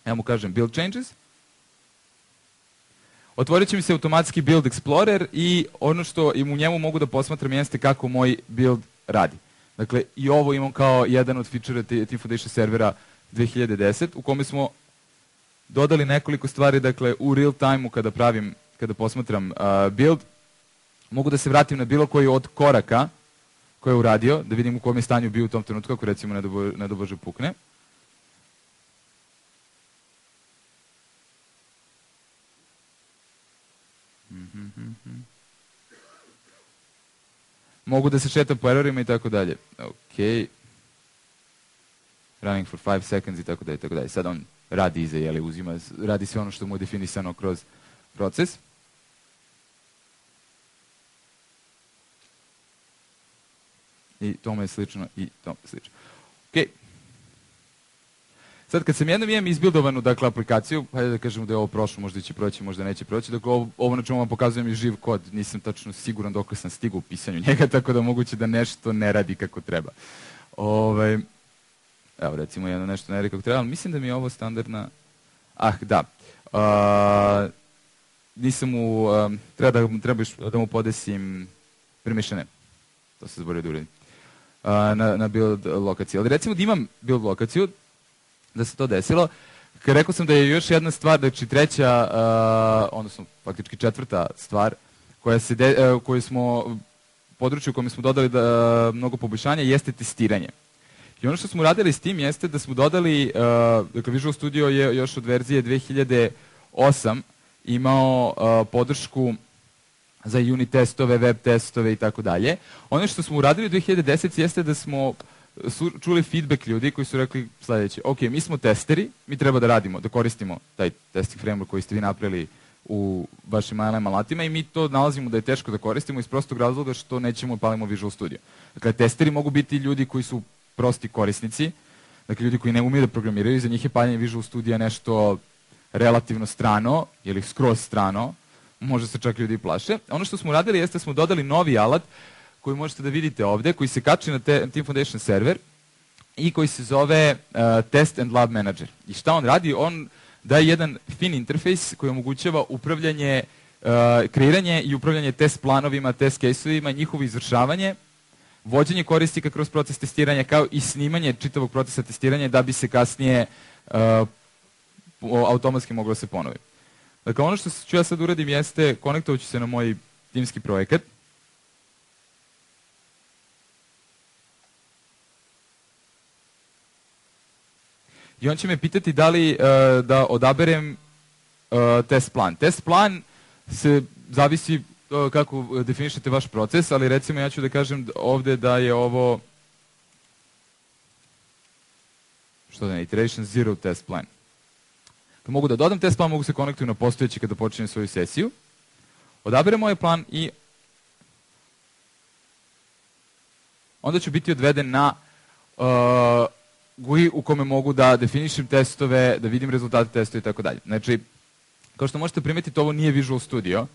Ja mu kažem build changes. Otvorit će mi se automatski build explorer i ono što u njemu mogu da posmatram jeste kako moj build radi. Dakle, i ovo imam kao jedan od feature Team Foundation servera 2010, u kome smo dodali nekoliko stvari, dakle, u real time-u kada posmatram build, mogu da se vratim na bilo koji od koraka koje je uradio, da vidim u kom je stanju bio u tom trenutku, ako recimo ne do Bože pukne. Mogu da se šetam po errorima i tako dalje. Ok. Running for 5 seconds i tako dalje. Sad on radi iza, radi sve ono što mu je definisano kroz proces. I tome je slično, Ok. Sad kad sam jednom imam izbildovanu, dakle, aplikaciju, hajde da kažemo da je ovo prošlo, možda će proći, možda neće proći, dakle, ovo na čemu vam pokazujem je živ kod, nisam tačno siguran dok sam stigao u pisanju njega, tako da moguće da nešto ne radi kako treba. Evo, recimo, jedno nešto ne radi kako treba, ali mislim da mi je ovo standardna... treba da mu podesim permissione. To se zaboravio da uradim. Na build lokaciju. Ali recimo da imam build lokaciju, da se to desilo, rekao sam da je još jedna stvar, znači treća, odnosno faktički četvrta stvar, područje u kojem smo dodali mnogo poboljšanja, jeste testiranje. I ono što smo radili s tim jeste da smo dodali, dakle Visual Studio je još od verzije 2008 imao podršku za unit testove, web testove i tako dalje. Ono što smo uradili u 2010 jeste da smo čuli feedback ljudi koji su rekli sljedeće, ok, mi smo testeri, mi treba da radimo, da koristimo taj testing framework koji ste vi napravili u vašim ILM alatima i mi to nalazimo da je teško da koristimo iz prostog razloga što nećemo palimo Visual Studio. Dakle, testeri mogu biti ljudi koji su prosti korisnici, dakle ljudi koji ne umiju da programiraju, za njih je paljenje Visual Studio nešto relativno strano ili skroz strano, možda se čak ljudi plaše. Ono što smo uradili jeste da smo dodali novi alat koji možete da vidite ovde, koji se kači na Team Foundation server i koji se zove Test and Lab Manager. I šta on radi? On daje jedan fin interfejs koji omogućava upravljanje, kreiranje i upravljanje test planovima, test case-ovima, njihovo izvršavanje, vođenje korisnika kroz proces testiranja, kao i snimanje čitavog procesa testiranja da bi se kasnije automatski moglo se ponovi. Dakle, ono što ću ja sad uradim jeste, konektovat ću se na moj timski projekat. I on će me pitati da li da odaberem test plan. Test plan se zavisi kako definišete vaš proces, ali recimo ja ću da kažem ovde da je ovo iteration zero test plan. Kad mogu da dodam test plan, mogu se konektuju na postojeći kada počinem svoju sesiju. Odaberem ovaj plan i onda ću biti odveden na GUI u kome mogu da definišem testove, da vidim rezultate testova i tako dalje. Znači, kao što možete primetiti, ovo nije Visual Studio.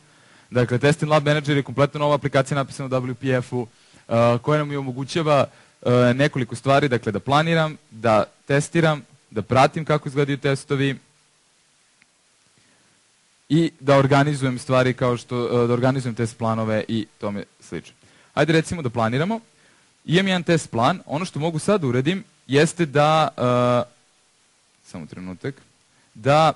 Dakle, Test and Lab Manager je kompletno nova aplikacija napisana u WPF-u koja nam je omogućava nekoliko stvari, dakle da planiram, da testiram, da pratim kako izgledaju testovi i da organizujem stvari kao što, da organizujem test planove i tome slično. Ajde recimo da planiramo. Imam jedan test plan. Ono što mogu sad uradim jeste da, samo trenutak, da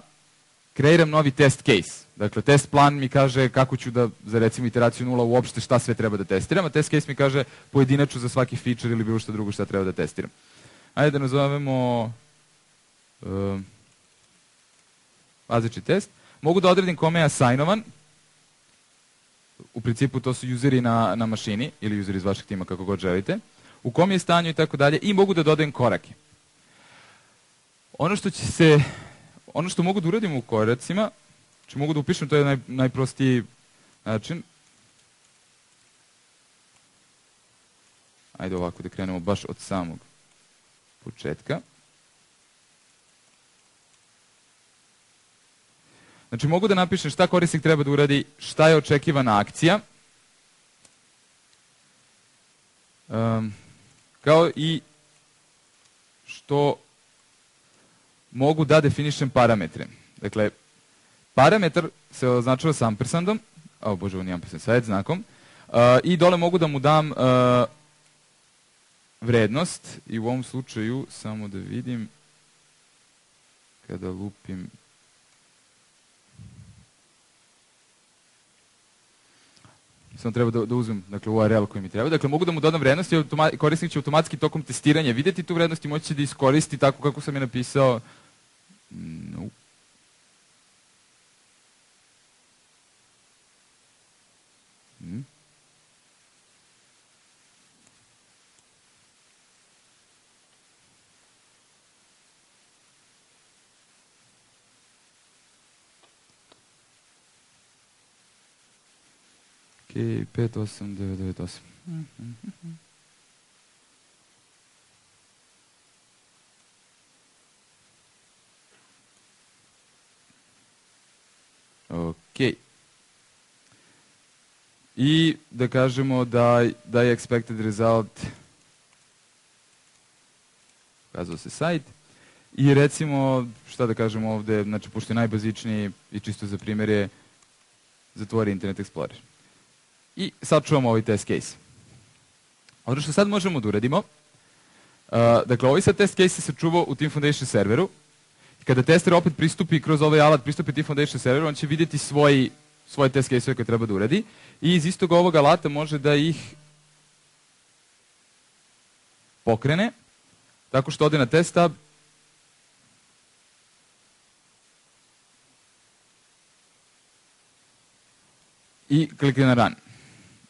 kreiram novi test case. Dakle, test plan mi kaže kako ću da, za recimo iteraciju 0 uopšte šta sve treba da testiram, a test case mi kaže pojedinačno za svaki feature ili bilo što drugo šta treba da testiram. Ajde da nazovemo bazični test. Mogu da odredim kome je assignovan. U principu to su useri na mašini ili useri iz vašeg tima kako god želite. U kom je stanju i tako dalje. I mogu da dodajem korake. Ono što mogu da uradim u koracima, znači mogu da upišem, to je najprostiji način. Ajde ovako da krenemo baš od samog početka. Znači mogu da napišem šta korisnik treba da uradi, šta je očekivana akcija, kao i što mogu da definišem parametre. Dakle, parametar se označava s ampersandom, o bože, ovo nije ampersand, sa znakom, i dole mogu da mu dam vrednost, i u ovom slučaju, samo da vidim, kada lupim, samo treba da uzmem URL koji mi treba. Dakle, mogu da mu dodam vrednost i korisnik će automatski tokom testiranja vidjeti tu vrednost i moći će da iskoristi tako kako sam je napisao. No. Ok, 58998. Ok. I da kažemo da je expected result pokazao se sajt. I recimo, šta da kažemo ovde, znači pošto je najbazičniji i čisto za primjer je zatvori Internet Explorer. I sad čuvamo ovaj test case. Ono što sad možemo da uradimo, dakle ovaj sad test case se čuva u Team Foundation serveru. Kada tester opet pristupi kroz ovaj alat, pristupi Team Foundation serveru, on će vidjeti svoje test case-ove koje treba da uradi i iz istog ovog alata može da ih pokrene tako što ode na test tab i klikne na run.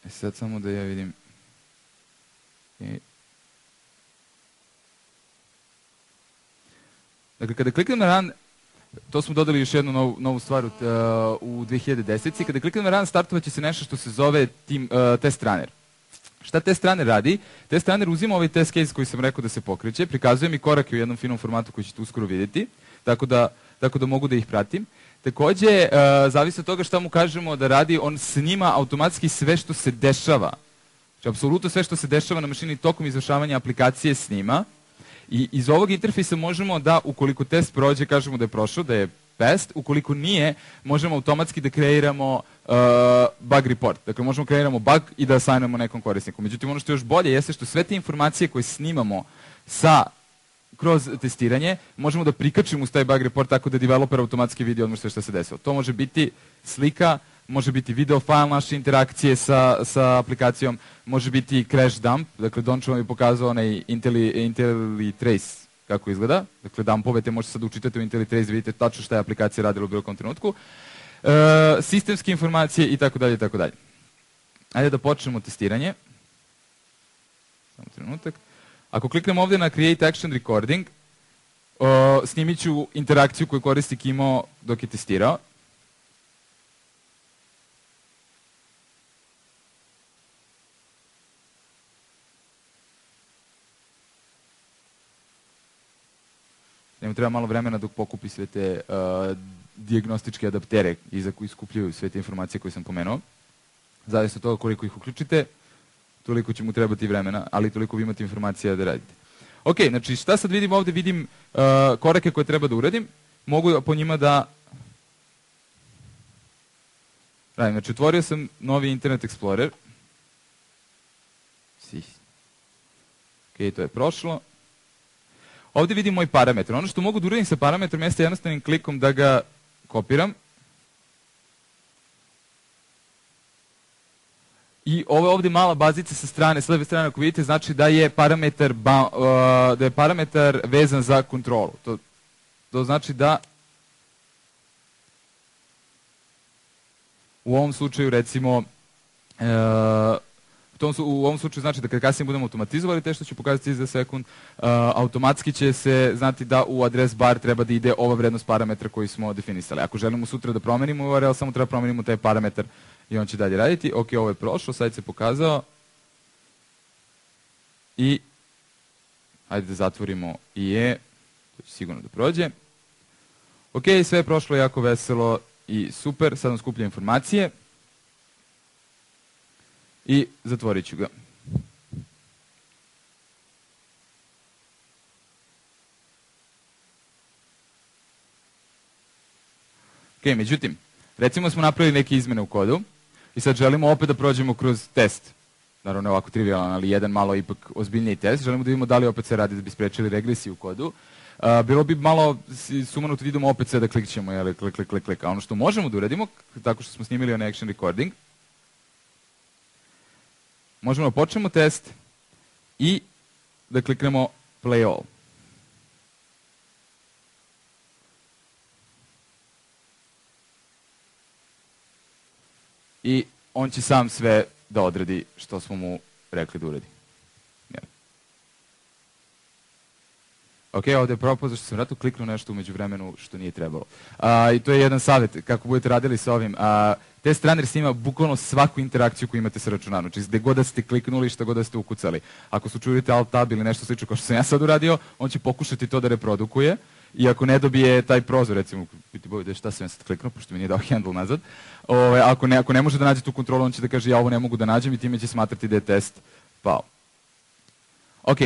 Sad samo da ja vidim. Dakle, kada kliknem na run, to smo dodali još jednu novu stvar u 2010. Kada kliknem na run, startovat će se nešto što se zove test runner. Šta test runner radi? Test runner uzima ovaj test case koji sam rekao da se pokreće, prikazuje mi korake u jednom finom formatu koji ćete uskoro vidjeti, tako da mogu da ih pratim. Takođe, zavisi od toga šta mu kažemo da radi, on snima automatski sve što se dešava. Znači, apsolutno sve što se dešava na mašini tokom izvršavanja aplikacije snima. I iz ovog interfejsa možemo da, ukoliko test prođe, kažemo da je prošao, da je passed. Ukoliko nije, možemo automatski da kreiramo bug report. Dakle, možemo kreiramo bug i da assignujemo nekom korisniku. Međutim, ono što je još bolje jeste što sve te informacije koje snimamo kroz testiranje, možemo da prikačimo uz taj bug report tako da developer automatski vidi odmah sve što se desilo. To može biti slika, može biti video file naše interakcije sa aplikacijom, može biti crash dump, dakle Dončo vam je pokazao onaj IntelliTrace kako izgleda, dakle dumpove te možete sad učitate u IntelliTrace, vidite tačno šta je aplikacija radila u bilo kom trenutku, sistemske informacije i tako dalje i tako dalje. Ajde da počnemo testiranje. Samo trenutak. Ako kliknemo ovdje na Create Action Recording, snimit ću interakciju koju korisnik imao dok je testirao. Njemu treba malo vremena dok pokupi sve te dijagnostičke adaptere iza koji skupljaju sve te informacije koje sam pomenuo. Zavisno od toga koliko ih uključite, toliko će mu trebati vremena, ali toliko vi imate informacija da radite. Ok, znači šta sad vidim ovdje? Vidim korake koje treba da uradim. Mogu po njima da radim. Znači otvorio sam novi Internet Explorer. Ok, to je prošlo. Ovdje vidim moj parametar. Ono što mogu da uradim sa parametrom jeste jednostavnim klikom da ga kopiram. I ovo je ovdje mala bazica sa strane, s leve strane ako vidite, znači da je parametar vezan za kontrolu. To znači da u ovom slučaju recimo u ovom slučaju znači da kad kasnije budemo automatizovali te što ću pokazati za sekund, automatski će se znati da u adres bar treba da ide ova vrednost parametra koji smo definisali. Ako želimo sutra da promenimo URL, samo treba promenimo taj parametar i on će dalje raditi. Ok, ovo je prošlo, sajt se pokazao. I hajde da zatvorimo IE, to će sigurno da prođe. Ok, sve je prošlo jako veselo i super, sad vam skuplja informacije. I zatvorit ću ga. Ok, međutim, recimo smo napravili neke izmene u kodu i sad želimo opet da prođemo kroz test. Naravno, ne ovako trivialan, ali jedan malo ipak ozbiljniji test. Želimo da vidimo da li opet se radi da bi sprečili regresiju u kodu. Bilo bi malo sumanuto da vidimo opet sve da klikćemo, jel, klik. A ono što možemo da uradimo, tako što smo snimili on action recording, možemo da počnemo test i da kliknemo play all. I on će sam sve da odradi što smo mu rekli da uradi. Ok, ovdje je propao zašto sam vratno kliknuo nešto umeđu vremenu što nije trebalo. I to je jedan savjet kako budete radili sa ovim. Test runner snima bukvalno svaku interakciju koju imate sa računarom. Znači gdje god da ste kliknuli, šta god da ste ukucali. Ako slučajujete alt tab ili nešto slično kao što sam ja sad uradio, on će pokušati to da reprodukuje. I ako ne dobije taj prozor, recimo, biti bojite šta sam ja sad kliknuo, pošto mi nije dao handle nazad. Ako ne može da nađe tu kontrolu, on će da kaže ja ovo ne mogu da nađem i time će smatrati da je test pao. Ok.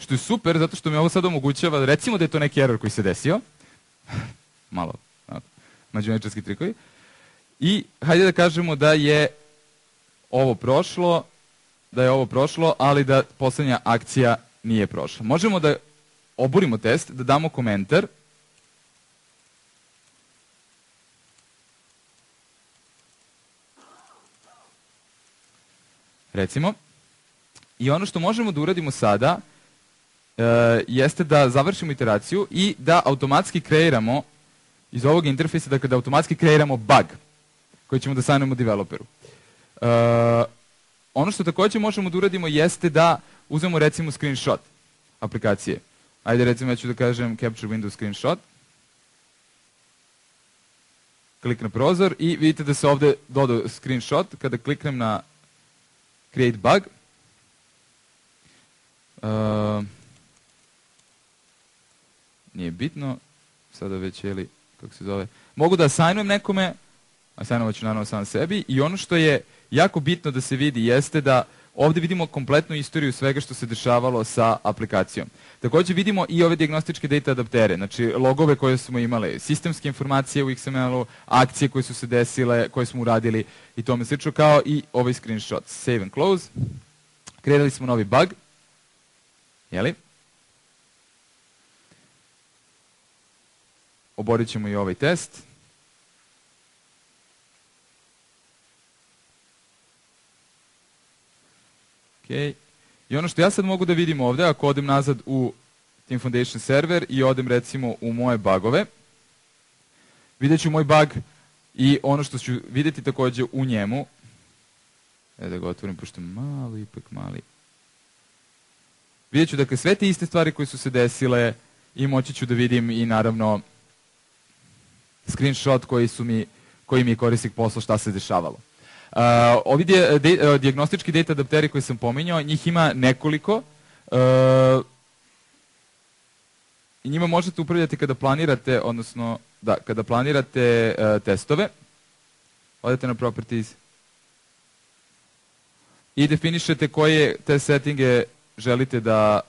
Što je super, zato što mi ovo sad omogućava, recimo da je to neki error koji se desio, malo mađioničarski trikovi, i hajde da kažemo da je ovo prošlo, ali da posljednja akcija nije prošla. Možemo da oborimo test, da damo komentar, recimo, i ono što možemo da uradimo sada, jeste da završimo iteraciju i da automatski kreiramo iz ovog interfejsa, dakle da automatski kreiramo bug koji ćemo da sajnujemo developeru. Ono što također možemo da uradimo jeste da uzmemo recimo screenshot aplikacije. Ajde recimo ja ću da kažem capture window screenshot. Klik na prozor i vidite da se ovdje dodao screenshot. Kada kliknem na create bug, nije bitno, sada već kako se zove, mogu da assignujem nekome, assignovat ću naravno sam sebi, i ono što je jako bitno da se vidi jeste da ovdje vidimo kompletnu istoriju svega što se dešavalo sa aplikacijom. Također vidimo i ove dijagnostičke data adaptere, znači logove koje smo imali, sistemske informacije u XML-u, akcije koje su se desile, koje smo uradili i tome slično, kao i ovaj screenshot. Save and close. Kreirali smo novi bug. Jeli? Oborit ćemo i ovaj test. Okay. I ono što ja sad mogu da vidim ovdje, ako odem nazad u Team Foundation server i odem recimo u moje bugove, vidjet ću moj bug i ono što ću vidjeti također u njemu, da ga otvorim pošto je ipak mali. Vidjet ću dakle sve te iste stvari koje su se desile i moći ću da vidim i naravno screenshot koji mi je korisnik poslao šta se dešavalo. Ovi dijagnostički data adapteri koje sam pominjao, njih ima nekoliko i njima možete upravljati kada planirate, odnosno kada planirate testove. Odete na properties i definišete koje te settinge želite da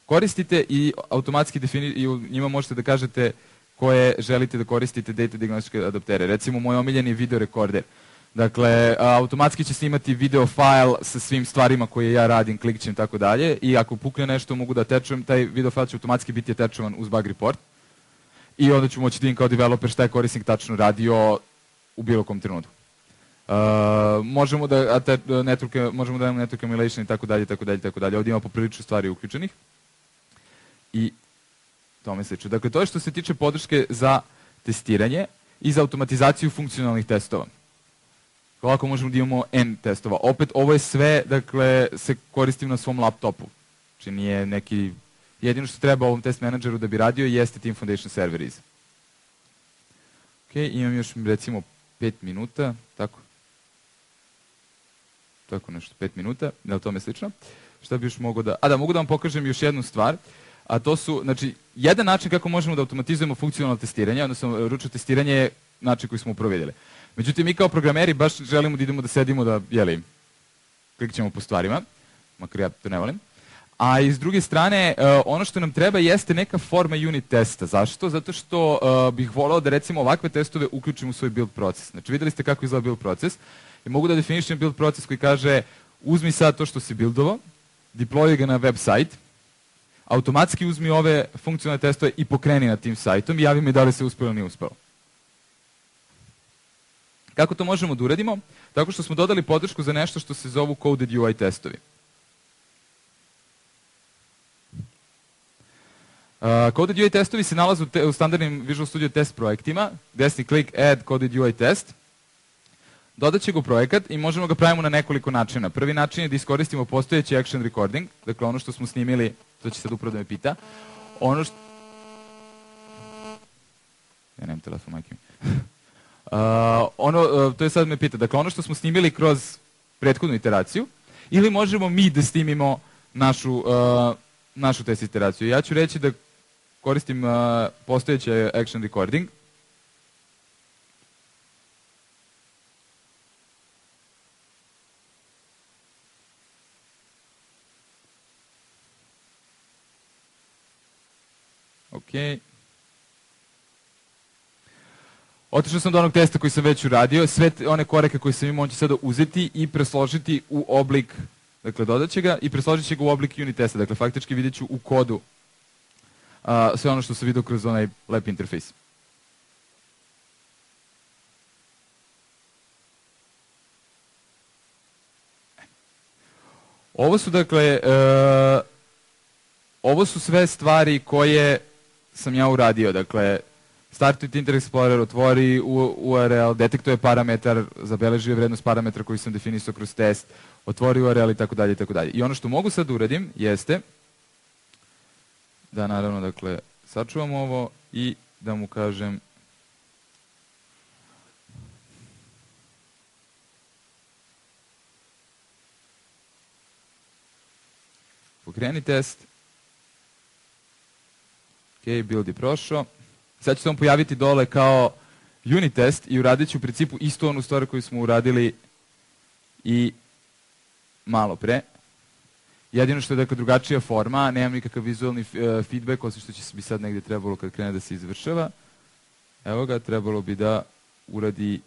koristite i automatski i u njima možete da kažete koje želite da koristite data diagnostičke adaptere. Recimo, moj omiljeni video rekorder. Dakle, automatski će snimati video file sa svim stvarima koje ja radim, klikćem i tako dalje, i ako pukne nešto mogu da atečujem, taj video file će automatski biti atečovan uz bug report i onda ću moći da vidim kao developer šta je korisnik tačno radio u bilo kom trenutku. Možemo da imamo network emulation i tako dalje, tako dalje, tako dalje. Ovdje ima poprilično stvari uključenih i tome slično. Dakle, to je što se tiče podrške za testiranje i za automatizaciju funkcionalnih testova. Ovako možemo da imamo N testova. Opet, ovo je sve, dakle, se koristim na svom laptopu. Znači nije neki... Jedino što treba ovom test menadžeru da bi radio jeste Team Foundation server iza. Ok, imam još recimo 5 minuta, tako? Tako nešto, 5 minuta, je li tome slično? Šta bi još mogao da... mogu da vam pokažem još jednu stvar, a to su, znači, jedan način kako možemo da automatizujemo funkcionalno testiranje, odnosno ručno testiranje je način koji smo uprovidjeli. Međutim, mi kao programeri baš želimo da idemo da sedimo da, klikćemo po stvarima, makar ja to ne volim. A iz druge strane, ono što nam treba jeste neka forma unit testa. Zašto? Zato što bih volao da recimo ovakve testove uključim u svoj build proces. Znači, vidjeli ste kako izgleda build proces i mogu da definišem build proces koji kaže uzmi sad to što si buildovo, deploy ga na web sajt, automatski uzmi ove funkcionalne testove i pokreni na tim sajtom i javi mi da li se uspelo ili nije uspelo. Kako to možemo da uradimo? Tako što smo dodali podršku za nešto što se zovu coded UI testovi. Coded UI testovi se nalaze u standardnim Visual Studio test projektima. Desni klik Add Coded UI test. Dodat će ga u projekat i možemo ga pravimo na nekoliko načina. Prvi način je da iskoristimo postojeći action recording, dakle ono što smo snimili, to će sad upravo da me pita. Ja nemam telefon, majke mi. To je sad me pita. Dakle, ono što smo snimili kroz prethodnu iteraciju, ili možemo mi da snimimo našu test iteraciju. Ja ću reći da koristim postojeći action recording. Ok. Otišao sam do onog testa koji sam već uradio, sve one koreke koje sam imao on će sada uzeti i presložiti u oblik, dakle dodat će ga i presložit će ga u oblik unit testa, dakle faktički vidjet ću u kodu sve ono što sam vidio kroz onaj lep interfejs. Ovo su dakle, ovo su sve stvari koje sam ja uradio, dakle Start with Internet Explorer, otvori URL, detektuje parametar, zabeležio vrednost parametra koji sam definisao kroz test, otvori URL i tako dalje i tako dalje. I ono što mogu sad da uradim jeste da naravno, dakle, sačuvam ovo i da mu kažem pokreni test. Ok, build je prošao. Sad će se on pojaviti dole kao unit test i uradit ću u principu istu onu stvar koju smo uradili i malo pre. Jedino što je dakle drugačija forma, nemam nikakav vizualni feedback, osim što će se bi sad negdje trebalo kad krene da se izvršava. Evo ga, trebalo bi da uradi...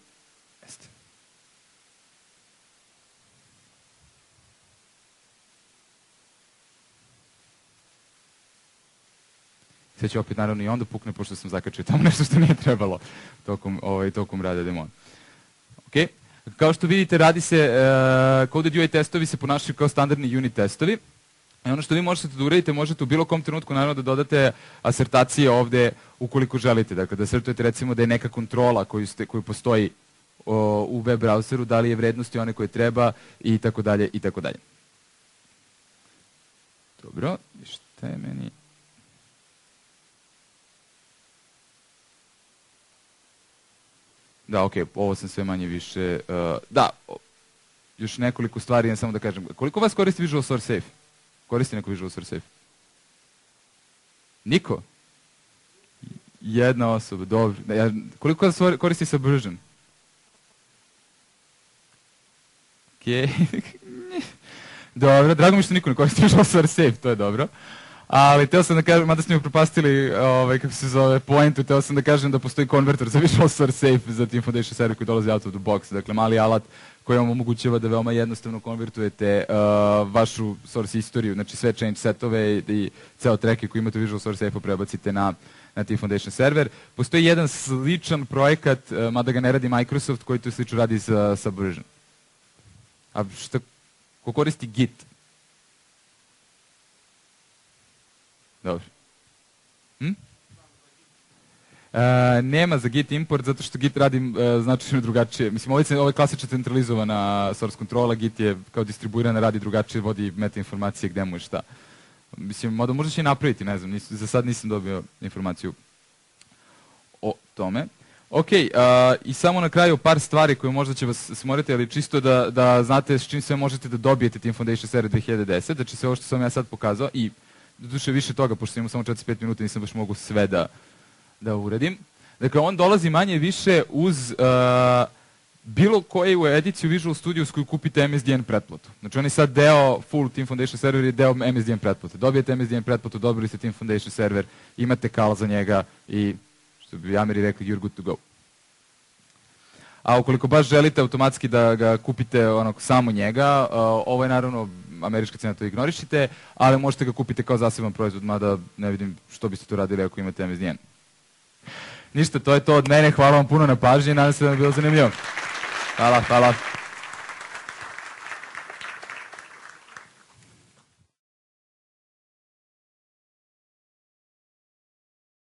Sve će opet naravno i onda pukne pošto sam zakačio tamo nešto što nije trebalo tokom rada demona. Ok, kao što vidite radi se, coded UI testovi se ponašaju kao standardni unit testovi. I ono što vi možete da uradite, možete u bilo kom trenutku naravno da dodate asertacije ovde ukoliko želite. Dakle, da asertujete recimo da je neka kontrola koju postoji u web browseru, da li je vrednosti one koje treba i tako dalje i tako dalje. Dobro, šta je meni... Da, ok, ovo sam sve manje više... Da, još nekoliko stvari, ja samo da kažem. Koliko vas koristi Visual Source Safe? Koristi neko Visual Source Safe? Niko? Jedna osoba, dobro. Koliko vas koristi Subversion? Ok. Dobro, drago mi što niko ne koristi Visual Source Safe, to je dobro. Ali teo sam da kažem, mada ste mi propastili, kako se zove, pointu, teo sam da kažem da postoji konverter za Visual Source Safe za Team Foundation server koji dolazi out of the box. Dakle, mali alat koji vam omogućava da veoma jednostavno konvertujete vašu source istoriju, znači sve change setove i ceo tracke koji imate u Visual Source Safe-u prebacite na Team Foundation server. Postoji jedan sličan projekat, mada ga ne radi Microsoft, koji to slično radi sa Subversion. A ko koristi Git? Dobro. Nema za Git import, zato što Git radi značajno drugačije. Mislim, ovo je klasična centralizovana source kontrola, Git je kao distribuirana, radi drugačije, vodi meta informacije gde mu je šta. Mislim, možda će i napraviti, ne znam, za sad nisam dobio informaciju o tome. Ok, i samo na kraju par stvari koje možda će vas smoriti, ali čisto da znate s čim sve možete da dobijete Team Foundation server 2010, znači sve ovo što sam ja sad pokazao i doduše više toga, pošto imamo samo 45 minuta, nisam baš mogu sve da uradim. Dakle, on dolazi manje više uz bilo koju ediciju Visual Studio s koju kupite MSDN pretplatu. Znači, on je sad deo full Team Foundation server i deo MSDN pretplate. Dobijete MSDN pretplatu, dobili ste Team Foundation server, imate kal za njega i, što bi Ameri rekli, you're good to go. A ukoliko baš želite automatski da ga kupite samo njega, ovo je naravno američka cena, to ignorišite, ali možete ga kupiti kao zaseban proizvod, mada ne vidim što biste to radili ako imate MSDN. Ništa, to je to od mene, hvala vam puno na pažnji, nadam se da vam je bilo zanimljivo. Hvala.